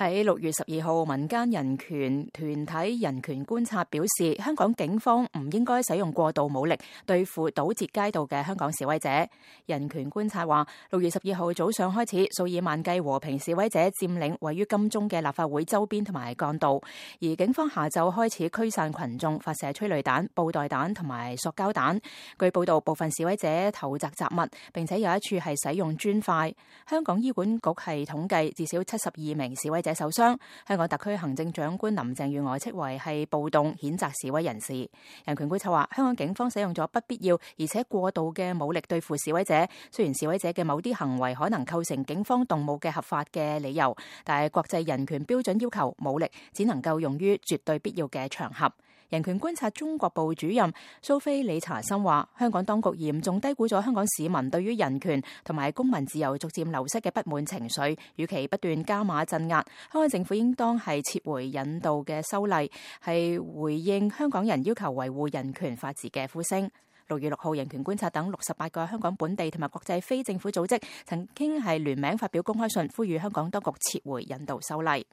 喺6月12號，民間人權團體人權觀察表示，香港警方唔應該使用過度武力對付堵截街道嘅香港示威者。人權觀察話，6月12號早上開始，數以萬計和平示威者佔領位於金鐘嘅立法會周邊同埋幹道，而警方下晝開始驅散群眾，發射催淚彈、布袋彈同埋塑膠彈。據報道，部分示威者投擲雜物，並且有一處係使用磚塊。香港醫管局係統計至少72名示威者受傷。香港特區行政長官林鄭月娥斥為係暴動，譴責示威人士。人權觀察話，香港警方使用咗不必要而且過度嘅武力對付示威者。雖然示威者嘅某啲行為可能構成警方動武嘅合法嘅理由，但係國際人權標準要求武力只能夠用於絕對必要嘅場合。人權觀察中國部主任蘇菲理查森話，香港當局嚴重低估咗香港市民對於人權同埋公民自由逐漸流失嘅不滿情緒，與其不斷加碼鎮壓，香港政府應當係撤回引渡嘅修例，係回應香港人要求維護人權法治嘅呼聲。6月6號，人權觀察等68個香港本地同埋國際非政府組織曾經係聯名發表公開信，呼籲香港當局撤回引渡修例。